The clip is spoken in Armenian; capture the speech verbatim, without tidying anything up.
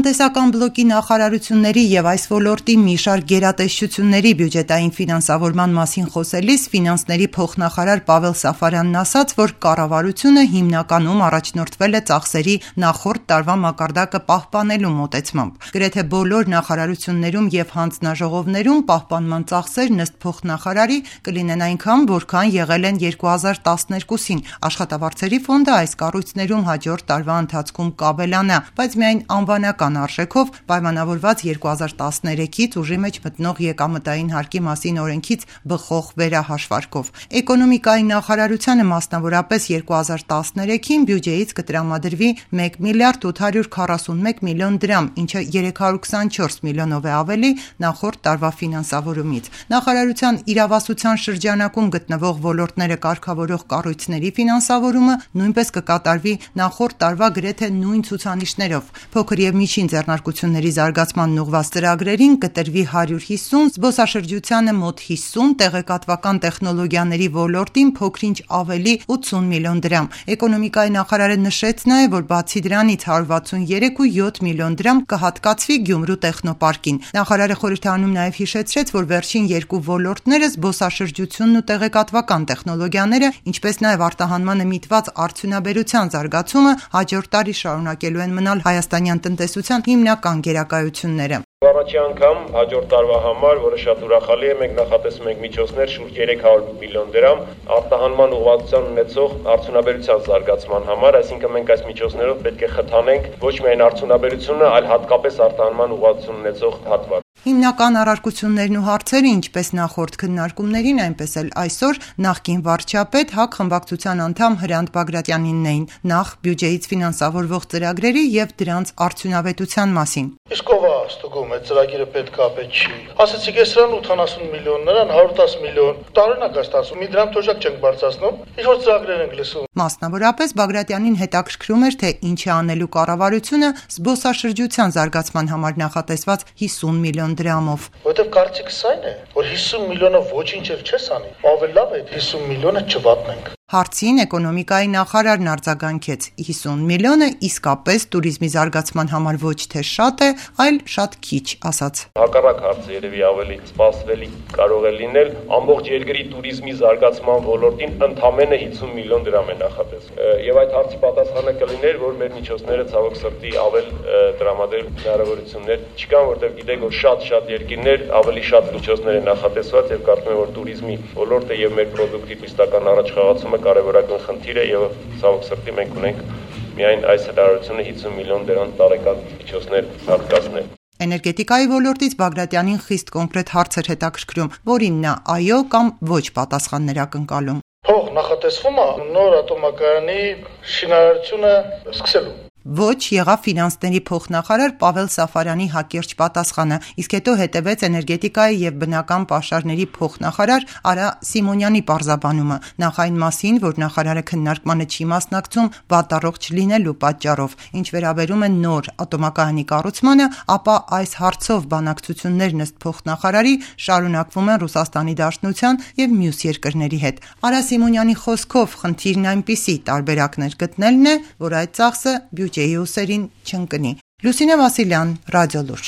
Տնտեսական բլոկի նախարարությունների եւ այս ոլորտի մի շարք գերատեսչությունների բյուջետային ֆինանսավորման մասին խոսելիս ֆինանսների փոխնախարար Պավել Սաֆարյանն ասաց, որ կառավարությունը հիմնականում առաջնորդվել է ծախսերի նախորդ տարվա մակարդակը պահպանելու մոտեցմամբ։ Գրեթե բոլոր նախարարություններում եւ հանձնաժողովներում պահպանման ծախսերն ըստ փոխնախարարի կլինեն այնքան, որքան եղել են երկու հազար տասներկուսին։ Աշխատավարձերի ֆոնդը այս կառույցներում հաջորդ տարվա ընթացքում կավելանա, բայց միայն անվանական արժեքով պայմանավորված երկու հազար տասներեքից ուժի մեջ մտնող եկամտային հարկի մասին օրենքից բխող վերահաշվարկով։ Էկոնոմիկայի նախարարությանը մասնավորապես երկու հազար տասներեքին բյուջեից կտրամադրվի մեկ միլիարդ ութ հարյուր քառասունմեկ միլիոն դրամ, ինչը երեք հարյուր քսանչորս միլիոնով է ավելի նախորդ տարվա ֆինանսավորումից։ Նախարարության իրավասության շրջանակում գտնվող ոլորտները կարգավորող կառույցների ֆինանսավորումը նույնպես կկատարվի նախորդ տարվա գրեթե նույն ցուցանիշներով։ Փոքր եւ միջին ձեռնարկությունների զարգացմանն ուղղված ծրագրերին կտրվի հարյուր հիսուն, զբոսաշրջությանը մոտ հիսուն, տեղեկատվական տեխնոլոգիաների ոլորտին փոքրինչ ավելի ութսուն միլիոն դրամ։ Էկոնոմիկայի նախարարը նշեց նաեւ, որ բացի դրանից հարյուր վաթսուներեք կόμμα յոթ միլիոն դրամ կհատկացվի Գյումրու տեխնոպարկին։ Նախարարը խորհրդանում նաեւ հիշեցրեց, որ վերջին երկու ոլորտները զբոսաշրջությունն ու տեղեկատվական տեխնոլոգիաները, ինչպես նաեւ արտահանմանը միտված արդյունաբերության զարգացումը հաջորդ տարի շարունակելու են մնալ հայաստանյան տնտեսության հիմնական գերակայությունները։ Առաջի անգամ հաջորդ տարվա համար, որը շատ ուրախալի է, մենք նախատեսում ենք միջոցներ շուրջ երեք հարյուր միլիոն դրամ արտահանման ուղղվածության ունեցող արդյունաբերության զարգացման համար, այսինքն մենք այս միջոցներով պետք է խթանենք ոչ միայն արդյունաբերությունը, այլ հատկապես արտահանման ուղղվածություն ունեցող հատված։ Հիմնական առարկություններն ու հարցերը, ինչպես նախորդ քննարկումներին, այնպես էլ այսօր նախկին վարչապետ ՀԱԿ խմբակցության անդամ Հրանտ Բագրատյանինն էին, նախ բյուջեից ֆինանսավորվող ծրագրերի եւ դրանց արդյունավետության մասին։ Իսկ ով է ստուգում այդ ծրագիրը պետք է պետք չի։ Ասացիք է սրան ութանասուն միլիոն, նրան հարյուր տասը միլիոն։ Տարօրինակ է ստացվում, մի դրամ թոշակ չենք բարձրացնում, ինչ որ ծրագրեր ենք լսում։ Մասնավորապես Բագրատյանին հետաքրքրում էր, թե ինչ է անելու կառավարությունը զբոսաշրջության զարգացման համար նախատեսված հիսուն միլիոն դրամով։ Որտեւ կարծիքս այն է, որ հիսուն միլիոնը ոչինչ էլ չես անի։ Ավելի լավ է հիսուն միլիոնը չվատնենք։ Հարցին էկոնոմիկայի նախարարն արձագանքեց. հիսուն միլիոնը իսկապես туриզմի զարգացման համար ոչ թե շատ է, այլ շատ քիչ, ասաց։ Հակառակ հարցը երևի ավելի սպասվելի կարող է լինել, ամբողջ երկրի туриզմի զարգացման ոլորտին ընդամենը հիսուն միլիոն դրամ է նախատեսվում։ Եվ այդ հարցի պատասխանը կլիներ, որ մեր միջոցները ցավոք սրտի ավել տրամադրել հնարավորություններ չկան, որտեղ գիտեք, որ շատ-շատ երկրներ ավելի շատ միջոցներ են նախատեսված եւ կարծում եմ, որ туриզմի ոլորտը եւ մեր պրոդուկտի տիստական առաջխաղացումը կարևորական խնդիր է եւ ցավոք սրտի մենք ունենք միայն այս հնարավորությունը հիսուն միլիոն դրամ տարեկան միջոցներ հատկացնել։ Էներգետիկայի ոլորտից Բագրատյանին խիստ կոնկրետ հարց էր հետաքրքրում, որին նա այո կամ ոչ պատասխաններ ակնկալում։ Փող նախատեսվում է նոր ատոմակայանի շինարարությունը սկսելու։ Ոչ եղավ ֆինանսների փոխնախարար Պավել Սաֆարյանի հակիրճ պատասխանը, իսկ հետո հետևեց էներգետիկայի եւ բնական պաշարների փոխնախարար Արա Սիմոնյանի պարզաբանումը, նախ այն մասին, որ նախարարը քննարկմանը չի մասնակցում վատառողջ չլինելու պատճառով, ինչ վերաբերում է նոր ատոմակայանի կառուցմանը, ապա այս հարցով բանակցություններն ըստ փոխնախարարի շարունակվում են Ռուսաստանի Դաշնության եւ մյուս երկրների հետ։ Արա Սիմոնյանի խոսքով խնդիրն այնպիսի տարբերակներ գտնելն է, որ այդ ծախսը բյուջեի ուսերին չընկնի։ Լուսինե Վասիլյան, Ռադիոլուրջ։